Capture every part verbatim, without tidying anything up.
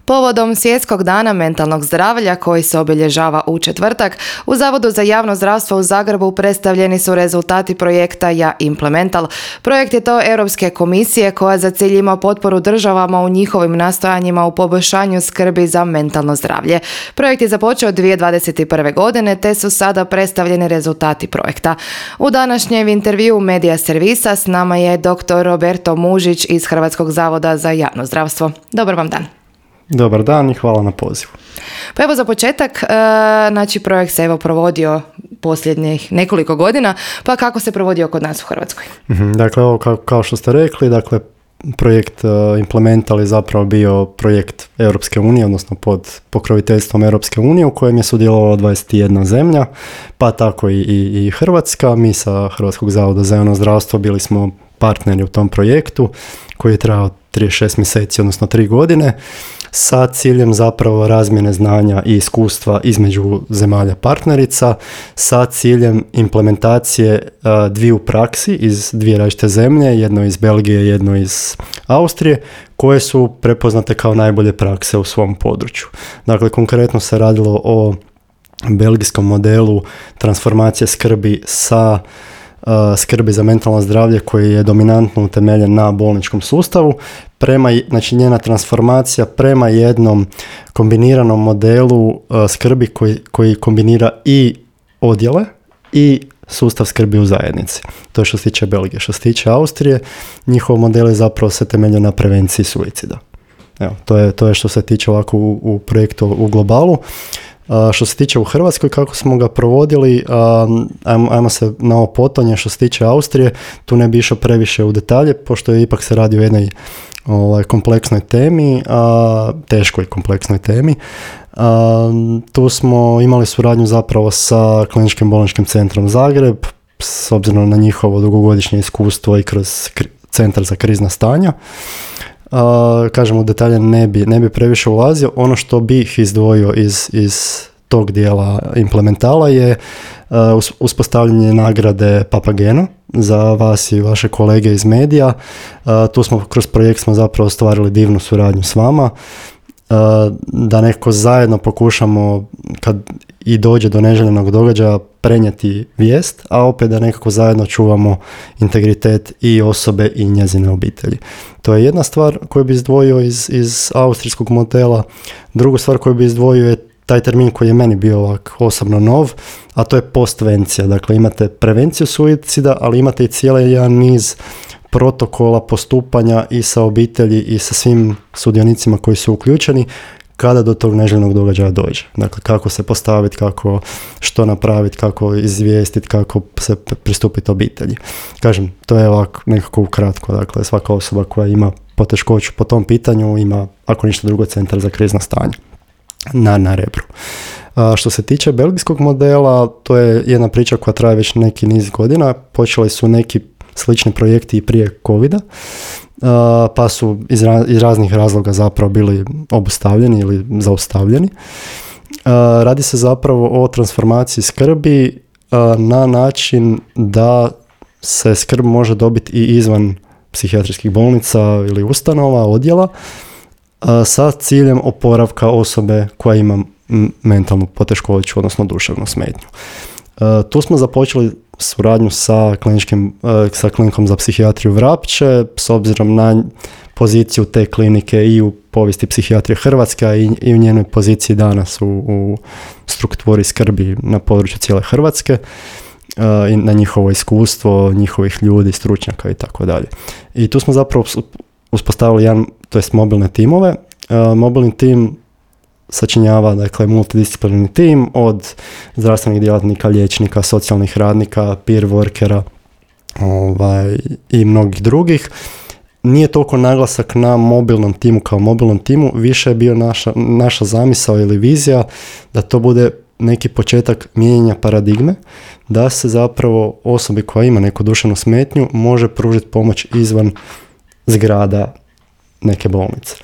Povodom Svjetskog dana mentalnog zdravlja koji se obilježava u četvrtak, u Zavodu za javno zdravstvo u Zagrebu predstavljeni su rezultati projekta Ja Implemental. Projekt je to Europske komisije koja za cilj ima potporu državama u njihovim nastojanjima u poboljšanju skrbi za mentalno zdravlje. Projekt je započeo dvije tisuće dvadeset prve. godine te su sada predstavljeni rezultati projekta. U današnjem intervjuu Medija Servisa s nama je doktor Roberto Mužić iz Hrvatskog zavoda za javno zdravstvo. Dobar vam dan. Dobar dan i hvala na pozivu. Pa evo za početak, e, znači projekt se evo provodio posljednjih nekoliko godina, pa kako se provodio kod nas u Hrvatskoj? Mm-hmm, dakle, ovo kao, kao što ste rekli, dakle, projekt uh, Implemental je zapravo bio projekt Europske unije, odnosno pod pokroviteljstvom Europske unije u kojem je sudjelovalo dvadeset jedna zemlja, pa tako i, i, i Hrvatska. Mi sa Hrvatskog zavoda za javno zdravstvo bili smo partneri u tom projektu koji je trajao trideset šest mjeseci, odnosno tri godine, sa ciljem zapravo razmjene znanja i iskustva između zemalja partnerica, sa ciljem implementacije uh, dviju praksi iz dvije različite zemlje, jedno iz Belgije, jedno iz Austrije, koje su prepoznate kao najbolje prakse u svom području. Dakle, konkretno se radilo o belgijskom modelu transformacije skrbi sa skrbi za mentalno zdravlje koji je dominantno utemeljen na bolničkom sustavu, prema, znači njena transformacija prema jednom kombiniranom modelu uh, skrbi koji, koji kombinira i odjele i sustav skrbi u zajednici. To je što se tiče Belgije. Što se tiče Austrije, njihov model je zapravo se temeljio na prevenciji suicida. Evo, to je, to je što se tiče ovako u, u projektu u globalu. Uh, što se tiče u Hrvatskoj, kako smo ga provodili, um, ajmo, ajmo se na ovo potonje. Što se tiče Austrije, tu ne bi išao previše u detalje, pošto je ipak se radi o jednoj ovaj, kompleksnoj temi, uh, teškoj kompleksnoj temi. Uh, tu smo imali suradnju zapravo sa Kliničkim bolničkim centrom Zagreb, s obzirom na njihovo dugogodišnje iskustvo i kroz kri- centar za krizna stanja. Uh, kažem, u detalje ne bi, ne bi previše ulazio. Ono što bih izdvojio iz, iz tog dijela implementala je uh, uspostavljanje nagrade Papageno za vas i vaše kolege iz medija. Uh, tu smo kroz projekt smo zapravo ostvarili divnu suradnju s vama, uh, da nekako zajedno pokušamo kad i dođe do neželjenog događaja prenijeti vijest, a opet da nekako zajedno čuvamo integritet i osobe i njezine obitelji. To je jedna stvar koju bi izdvojio iz, iz austrijskog modela. Drugu stvar koju bi izdvojio je taj termin koji je meni bio ovak osobno nov, a to je postvencija. Dakle, imate prevenciju suicida, ali imate i cijeli jedan niz protokola postupanja i sa obitelji i sa svim sudionicima koji su uključeni kada do tog neželjenog događaja dođe. Dakle, kako se postaviti, kako što napraviti, kako izvijestiti, kako se pristupiti obitelji. Kažem, to je ovako nekako ukratko. Dakle, svaka osoba koja ima poteškoću po tom pitanju ima, ako ništa drugo, centar za krizna stanja na, na Rebru. A što se tiče belgijskog modela, to je jedna priča koja traje već neki niz godina. Počeli su neki slični projekti i prije covida, Uh, pa su iz, ra- iz raznih razloga zapravo bili obustavljeni ili zaustavljeni. Uh, radi se zapravo o transformaciji skrbi uh, na način da se skrb može dobiti i izvan psihijatrijskih bolnica ili ustanova, odjela, uh, sa ciljem oporavka osobe koja ima m- mentalnu poteškoću, odnosno duševnu smetnju. Uh, tu smo započeli suradnju sa, kliničkim, uh, sa klinikom za psihijatriju Vrapče, s obzirom na poziciju te klinike i u povijesti psihijatrije Hrvatske i, i u njenoj poziciji danas u, u strukturi skrbi na području cijele Hrvatske, uh, i na njihovo iskustvo, njihovih ljudi, stručnjaka i tako dalje. I tu smo zapravo uspostavili jedan, to jest mobilne timove. Uh, mobilni tim sačinjava, dakle, multidisciplinarni tim od zdravstvenih djelatnika, liječnika, socijalnih radnika, peer workera ovaj, i mnogih drugih. Nije toliko naglasak na mobilnom timu kao mobilnom timu, više je bio naša, naša zamisao ili vizija da to bude neki početak mijenjanja paradigme, da se zapravo osobi koja ima neku duševnu smetnju može pružiti pomoć izvan zgrada neke bolnice.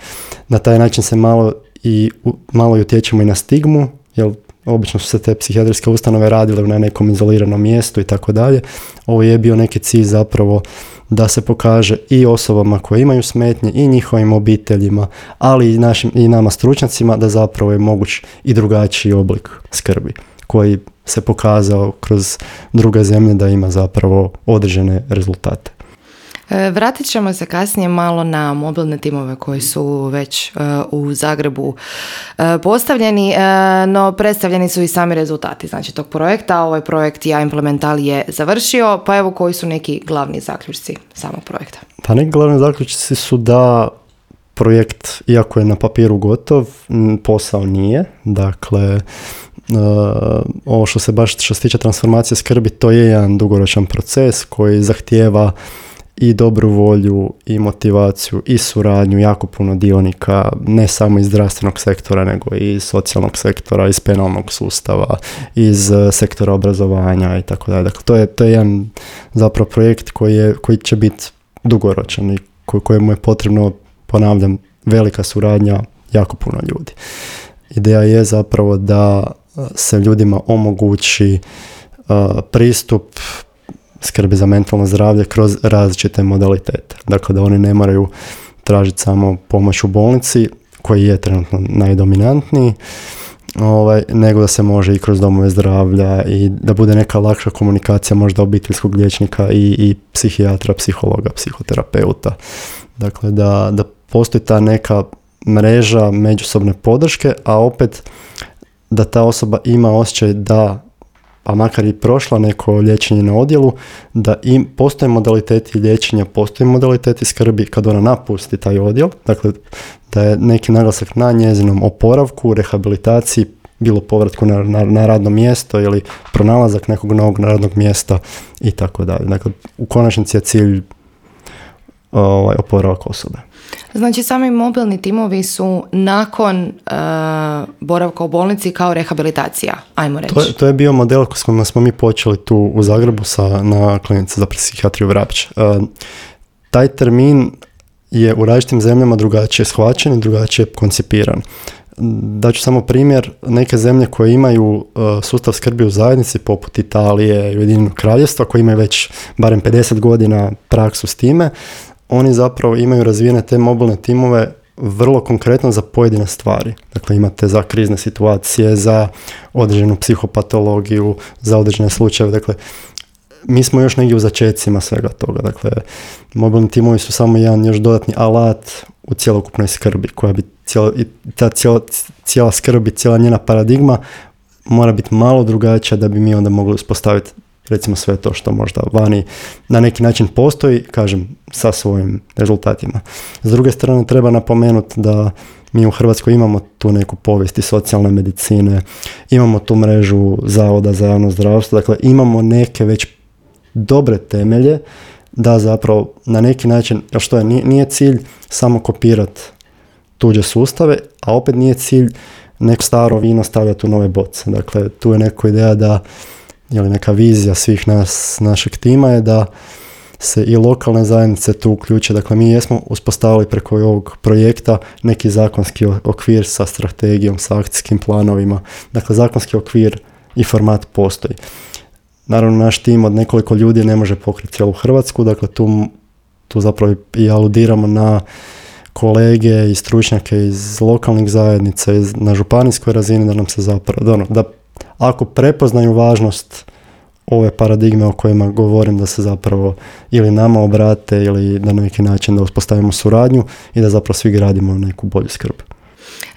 Na taj način se malo i malo i utječemo i na stigmu, jer obično su se te psihijatrijske ustanove radile na nekom izoliranom mjestu i tako dalje. Ovo je bio neki cilj zapravo da se pokaže i osobama koje imaju smetnje i njihovim obiteljima, ali i, našim, i nama stručnjacima da zapravo je moguć i drugačiji oblik skrbi koji se pokazao kroz druge zemlje da ima zapravo određene rezultate. Vratit ćemo se kasnije malo na mobilne timove koji su već uh, u Zagrebu uh, postavljeni, uh, no predstavljeni su i sami rezultati znači tog projekta. Ovaj projekt Ja Implemental je završio, pa evo koji su neki glavni zaključci samog projekta? Pa neki glavni zaključci su da projekt, iako je na papiru gotov, posao nije. Dakle, Uh, ovo što se baš što se tiče transformacije skrbi, to je jedan dugoročan proces koji zahtijeva i dobru volju i motivaciju i suradnju jako puno dionika, ne samo iz zdravstvenog sektora, nego i iz socijalnog sektora, iz penalnog sustava, iz uh, sektora obrazovanja i tako dalje. Dakle, to je, to je jedan zapravo projekt koji, je, koji će biti dugoročan i koj, kojemu je potrebno, ponavljam, velika suradnja jako puno ljudi. Ideja je zapravo da se ljudima omogući uh, pristup skrbi za mentalno zdravlje kroz različite modalitete. Dakle, da oni ne moraju tražiti samo pomoć u bolnici, koji je trenutno najdominantniji, ovaj, nego da se može i kroz domove zdravlja i da bude neka lakša komunikacija možda obiteljskog liječnika i, i psihijatra, psihologa, psihoterapeuta. Dakle, da, da postoji ta neka mreža međusobne podrške, a opet da ta osoba ima osjećaj da, pa makar i prošla neko liječenje na odjelu, da im postoje modaliteti liječenja, postoje modaliteti skrbi kad ona napusti taj odjel, dakle da je neki naglasak na njezinom oporavku, rehabilitaciji, bilo povratku na, na, na radno mjesto ili pronalazak nekog novog radnog mjesta i tako dalje. Dakle, u konačnici je cilj ovaj, oporavak osobe. Znači, sami mobilni timovi su nakon uh, boravka u bolnici kao rehabilitacija, ajmo reći. To je, to je bio model s kojim smo mi počeli tu u Zagrebu sa, na klinici za psihijatriju Vrapče. Uh, taj termin je u različitim zemljama drugačije shvaćen i drugačije koncipiran. Daću samo primjer, neke zemlje koje imaju uh, sustav skrbi u zajednici, poput Italije i Ujedinjenog Kraljevstva, koji imaju već barem pedeset godina praksu s time, oni zapravo imaju razvijene te mobilne timove vrlo konkretno za pojedine stvari. Dakle, imate za krizne situacije, za određenu psihopatologiju, za određene slučajeve. Dakle, mi smo još negdje u začecima svega toga. Dakle, mobilni timovi su samo jedan još dodatni alat u cjelokupnoj skrbi, koja bi cijela, ta cijela, cijela skrb i cijela njena paradigma mora biti malo drugačija da bi mi onda mogli uspostaviti recimo sve to što možda vani na neki način postoji, kažem, sa svojim rezultatima. S druge strane, treba napomenuti da mi u Hrvatskoj imamo tu neku povijest i socijalne medicine, imamo tu mrežu zavoda za javno zdravstvo, dakle imamo neke već dobre temelje da zapravo na neki način, što je, nije, nije cilj samo kopirati tuđe sustave, a opet nije cilj neko staro vino stavljati u nove boce. Dakle, tu je neka ideja da ili neka vizija svih nas, našeg tima je da se i lokalne zajednice tu uključe. Dakle, mi jesmo uspostavili preko ovog projekta neki zakonski okvir sa strategijom, sa akcijskim planovima. Dakle, zakonski okvir i format postoji. Naravno, naš tim od nekoliko ljudi ne može pokriti cijelu Hrvatsku, dakle tu, tu zapravo i aludiramo na kolege i stručnjake iz lokalnih zajednica, iz, na županijskoj razini, da nam se zapravo, da, da ako prepoznaju važnost ove paradigme o kojima govorim, da se zapravo ili nama obrate ili da na neki način da uspostavimo suradnju i da zapravo svi gradimo neku bolju skrb.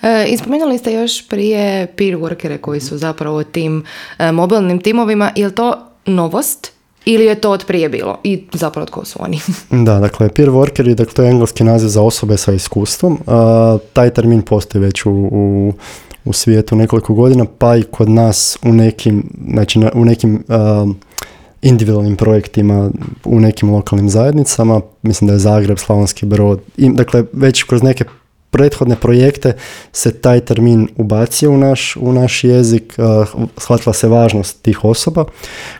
E, ispomenuli ste još prije peer workere koji su zapravo tim e, mobilnim timovima. Je li to novost ili je to od prije bilo? I zapravo tko su oni? Da, dakle, peer workeri, dakle, to je engleski naziv za osobe sa iskustvom. A, taj termin postoji već u, u, u svijetu nekoliko godina, pa i kod nas u nekim, znači na, u nekim a, individualnim projektima, u nekim lokalnim zajednicama. Mislim da je Zagreb, Slavonski Brod. I, dakle, već kroz neke prethodne projekte se taj termin ubacio u naš, u naš jezik, uh, shvatila se važnost tih osoba.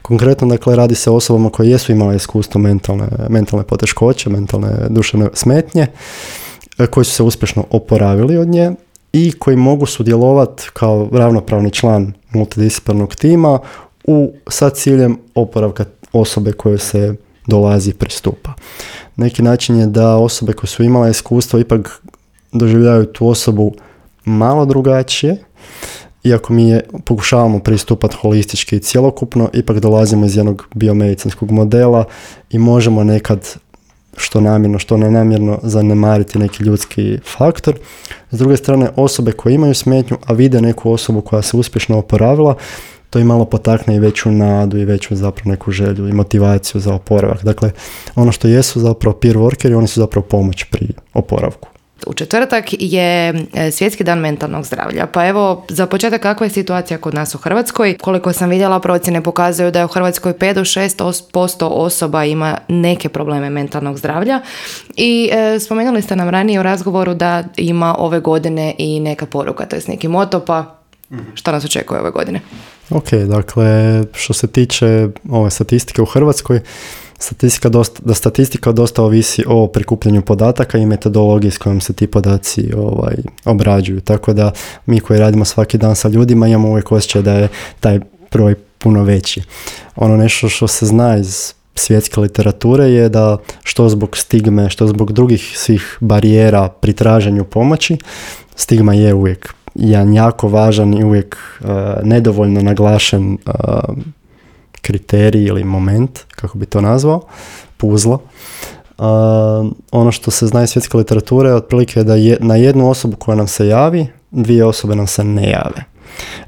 Konkretno, dakle, radi se o osobama koje jesu imale iskustvo mentalne, mentalne poteškoće, mentalne duševne smetnje, uh, koji su se uspješno oporavili od nje i koji mogu sudjelovati kao ravnopravni član multidisciplinarnog tima u, sa ciljem oporavka osobe koje se dolazi i pristupa. Neki način je da osobe koje su imale iskustvo ipak doživljavaju tu osobu malo drugačije, iako mi je, pokušavamo pristupati holistički i cjelokupno, ipak dolazimo iz jednog biomedicinskog modela i možemo nekad što namjerno, što nenamjerno zanemariti neki ljudski faktor. S druge strane, osobe koje imaju smetnju, a vide neku osobu koja se uspješno oporavila, to im malo potakne i veću nadu i veću zapravo neku želju i motivaciju za oporavak. Dakle, ono što jesu zapravo peer workeri, oni su zapravo pomoć pri oporavku. U četvrtak je Svjetski dan mentalnog zdravlja. Pa evo, za početak, kakva je situacija kod nas u Hrvatskoj? Koliko sam vidjela, procjene pokazuju da je u Hrvatskoj pet do šest posto osoba ima neke probleme mentalnog zdravlja. I e, spomenuli ste nam ranije u razgovoru da ima ove godine i neka poruka, to je neki moto, pa što nas očekuje ove godine? Ok, dakle, što se tiče ove statistike u Hrvatskoj, Statistika dosta, da statistika dosta ovisi o prikupljanju podataka i metodologiji s kojom se ti podaci ovaj, obrađuju. Tako da mi koji radimo svaki dan sa ljudima imamo uvijek osjećaj da je taj broj puno veći. Ono nešto što se zna iz svjetske literature je da što zbog stigme, što zbog drugih svih barijera pri traženju pomoći, stigma je uvijek jedan jako važan i uvijek uh, nedovoljno naglašen uh, kriterij ili moment, kako bi to nazvao, puzla. Uh, ono što se zna iz svjetske literature je otprilike da je, na jednu osobu koja nam se javi, dvije osobe nam se ne jave.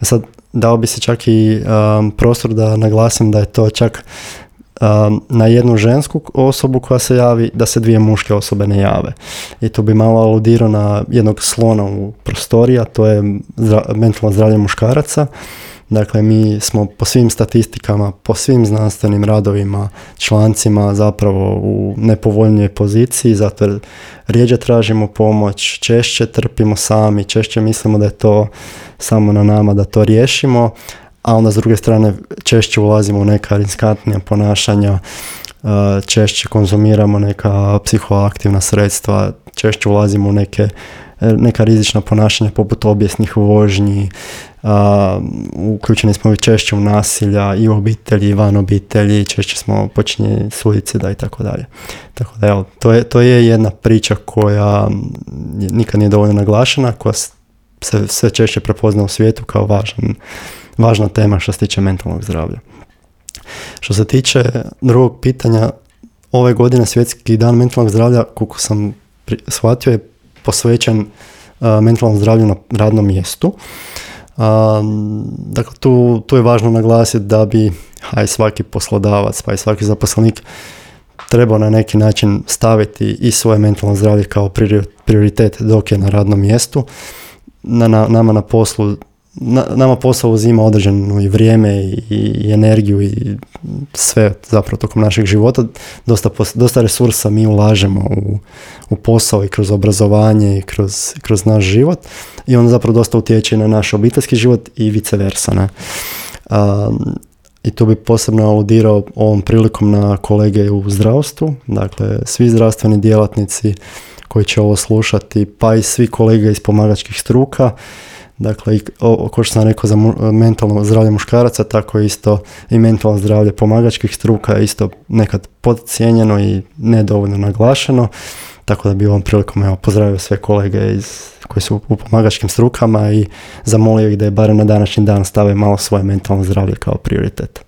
Sad, dao bi se čak i um, prostor da naglasim da je to čak um, na jednu žensku osobu koja se javi, da se dvije muške osobe ne jave. I to bi malo aludirao na jednog slona u prostoriji, a to je zdra- mentalno zdravlje muškaraca. Dakle, mi smo po svim statistikama, po svim znanstvenim radovima, člancima zapravo u nepovoljnijoj poziciji, zato jer rijeđe tražimo pomoć, češće trpimo sami, češće mislimo da je to samo na nama da to riješimo, a onda s druge strane češće ulazimo u neka riskantnija ponašanja, češće konzumiramo neka psihoaktivna sredstva, češće ulazimo u neke neka rizična ponašanja poput obijesnih vožnji, uh, uključeni smo češće u nasilja i u obitelji i van obitelji, češće smo počinjeni suicida i tako dalje. Tako da evo, to je, to je jedna priča koja nikad nije dovoljno naglašena, koja se sve češće prepozna u svijetu kao važan, važna tema što se tiče mentalnog zdravlja. Što se tiče drugog pitanja, ove godine Svjetski dan mentalnog zdravlja, koliko sam pri, shvatio, je posvećen uh, mentalnom zdravlju na radnom mjestu. Uh, dakle, tu, tu je važno naglasiti da bi aj svaki poslodavac, pa i svaki zaposlenik trebao na neki način staviti i svoje mentalno zdravlje kao prioritet dok je na radnom mjestu. Na, na, nama na poslu Na, nama posao uzima određeno i vrijeme i, i energiju i sve zapravo tokom našeg života. Dosta, dosta resursa mi ulažemo u, u posao i kroz obrazovanje i kroz, kroz naš život i on zapravo dosta utječe na naš obiteljski život i vice versa. Ne? Um, I tu bi posebno aludirao ovom prilikom na kolege u zdravstvu, dakle svi zdravstveni djelatnici koji će ovo slušati, pa i svi kolege iz pomagačkih struka. Dakle, kao što sam rekao za mentalno zdravlje muškaraca, tako isto i mentalno zdravlje pomagačkih struka isto nekad podcijenjeno i nedovoljno naglašeno, tako da bi ovom prilikom evo, pozdravio sve kolege iz, koji su u pomagačkim strukama i zamolio ih da je barem na današnji dan stave malo svoje mentalno zdravlje kao prioritet.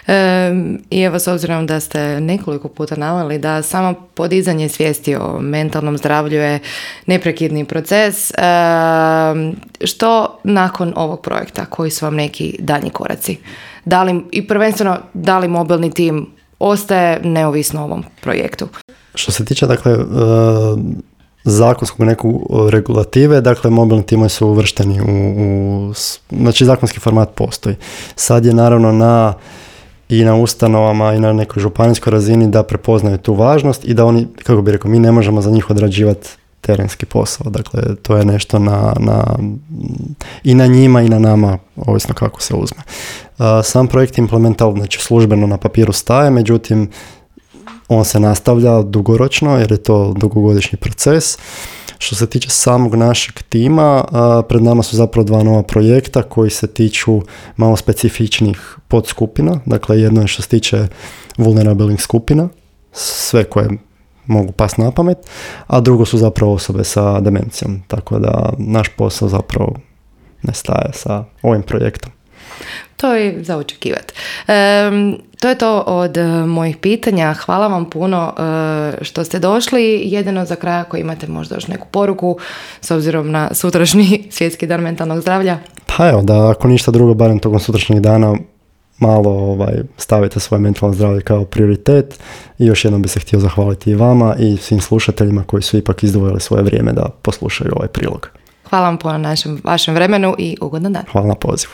E, I evo, s obzirom da ste nekoliko puta naveli da samo podizanje svijesti o mentalnom zdravlju je neprekidni proces, e, što nakon ovog projekta, koji su vam neki daljnji koraci? Da li, i prvenstveno, da li mobilni tim ostaje neovisno o ovom projektu? Što se tiče, dakle, e, zakonskog nekog regulative, dakle mobilni timovi su uvršteni u, u, znači zakonski format postoji. Sad je naravno na i na ustanovama i na nekoj županijskoj razini da prepoznaju tu važnost i da oni, kako bi rekao, mi ne možemo za njih odrađivati terenski posao. Dakle, to je nešto na, na, i na njima i na nama, ovisno kako se uzme. Uh, sam projekt Implemental, znači službeno na papiru staje, međutim, on se nastavlja dugoročno jer je to dugogodišnji proces. Što se tiče samog našeg tima, a, pred nama su zapravo dva nova projekta koji se tiču malo specifičnih podskupina. Dakle, jedno je što se tiče vulnerabilnih skupina, sve koje mogu pasti na pamet, a drugo su zapravo osobe sa demencijom. Tako da naš posao zapravo ne staje sa ovim projektom. To je za očekivati. E, to je to od uh, mojih pitanja. Hvala vam puno uh, što ste došli. Jedino za kraj, ako imate možda još neku poruku s obzirom na sutrašnji svjetski dan mentalnog zdravlja. Pa evo, da ako ništa drugo, barem tokom sutrašnjeg dana malo ovaj, stavite svoje mentalno zdravlje kao prioritet i još jednom bi se htio zahvaliti i vama i svim slušateljima koji su ipak izdvojili svoje vrijeme da poslušaju ovaj prilog. Hvala vam puno na našem, vašem vremenu i ugodan dan. Hvala na pozivu.